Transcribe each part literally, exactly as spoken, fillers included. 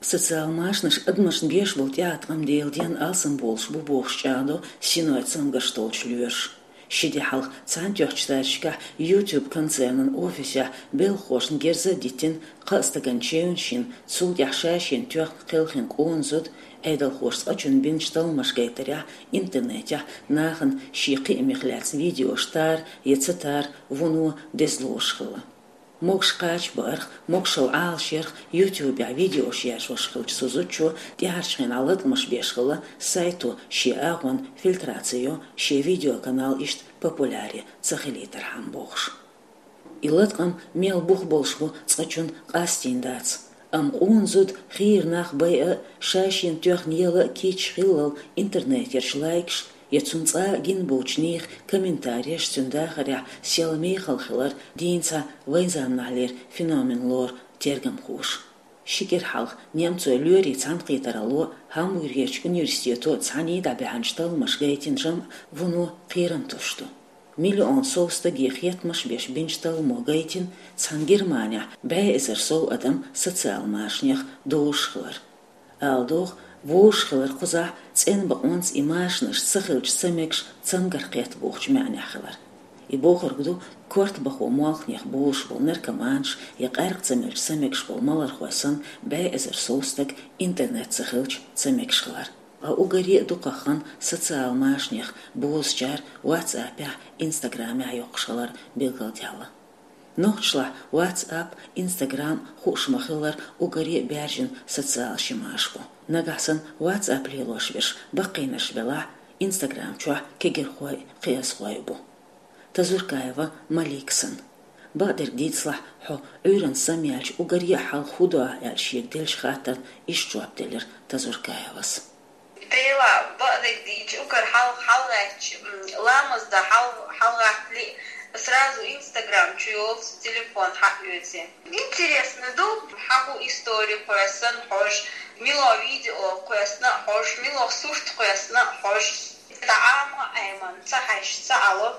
Социал машанаш адамашна беш болу тӀеӀаткъам дела ден алсам болуш бу бохуш чӀагӀдо синой цамгарш толлучу лоьраша. Ши де хьалха Цхьаьнатоьхначу Штаташкахь YouTube концернан офисехь белхахошна герз а диттина, кхаа стагана чевнаш йина, цул тӀаьхьа ша-шена тоьхна кхелхина къона зуда, Ӏедалхоша цкъачунна бинчу талламаш гайтарехь, интернетехь нахана шен кхиамех лаьцна видеош тара я ца тара вуно деза лоруш хилла. Могуш кхача баарх, могушалла Ӏалашъярх, YouTube-ехь видеош яржош хиллачу цу зудчо тӀаьхьарчу хенахь латкъамаш беш хилла, сайто шен агӀонна фильтраци йо, шен видеоканал иштта популяр ца хилийтархьама бохуш. И латкъам мел бух болуш бу цкъачунна къастийна дац. Амма къона зуда хийра нах байа а, ша-шена тоьхна ела а кийча хиллал интернетерчу лайкаш я цунна цкъа а гина боцучу нехан комментареш цуьнан дахарехь сел мехала хилар дийна цхьа вайн заманахьлера феномен лору тергамхоша. Ши кӀира хьалха немцойн лоьрийн цхьаьнакхетаралло, Гамбургерчу университето цхьаьний дӀабаьхьначу талламаша гайтина жамӀ вуно кхерам тосуш ду. Миллион сов стаге хеттамаш беш бинчу талламо гайтина цхьана Германехь бӀе эзар сов адам социал машанех дозуш хилар. Ала догӀу, вовшах хилар кхузахь цӀена бакъонца и машанаш ца хилча ца мегаш цамгарх кхетта бохучу маьӀнехь хилар. И бохург ду, корта бахо молханех болуш болу наркоманаш я къаьркъа ца мелча ца мегаш болу малархой санна бӀе эзар сов стаг интернет ца хилча ца мегаш хилар. Ткъа уггаре а дукхаххана социал машанех бозучара WhatsApp-ехь, Instagram-ехь йоккхуш хилар билгалдаьлла. Нохчашлахь WhatsApp, Instagram хууш ма-хиллара уггаре а баьржина социал шимаш бу. Нагахь санна WhatsApp лелош берш баккхийнарш белахь, Instagram чохь кегирхой, кхиазхой бу. Тазуркаева Малика санна. Бакъдерг дийцалахь, хьо Ӏуьйранна самъяьлча уггаре а хьалха хӀун до ахь аьлла шега деллачу хаттарна иштта жоп делира Тазуркаевас. Дела, бакъдерг дийцича, уггар хьал-, хьалагӀаьттича, м, ламаз дан хьал-, хьалагӀаттале, сразу Instagram чу йолу телефон хьаоьцу. Интересно ду, хьан хӀун истори кхоьссина хьожуш, мила видео кхоьссина хьожуш, мила сурт кхоьссина хьожуш. ТӀаьхьа ма Ӏеман, ца хьаьжча ца Ӏало.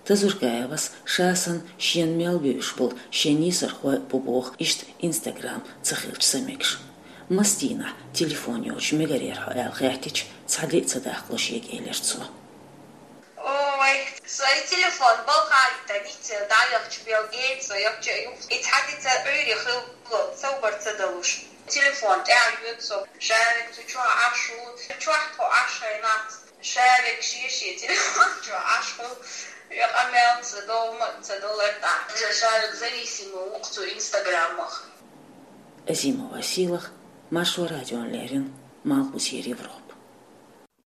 Тазуркаевас ша санна шена мел бевзаш болу шен нийсархой а бу боху иштта Instagram ца хилча ца мегаш. Маса дийнахь телефон йоцуш мегарий хьо аьлла хаьттича, цхьа де а ца даккхало шега элира цо. Ой, со и телефон балха а йита, ниццера дӀаяхча белгийна со, яхча а юха. И цхьа де ца Ӏуьйре хилла, совбар ца далуш. Телефон тӀаьхьа йоьду со, шарик цу чохь Ӏаш ву, чохь тхо Ӏаш хьайна. Шарик шен-шен телефон чу Ӏаш хуьлу, я къамел ца долу, ма ца долу тӀаккха. Шарик зависимый ву-кх цу Инстаграмах. Азимова Сийлаха, Маршо радиона леррина, Малхбузера Европа.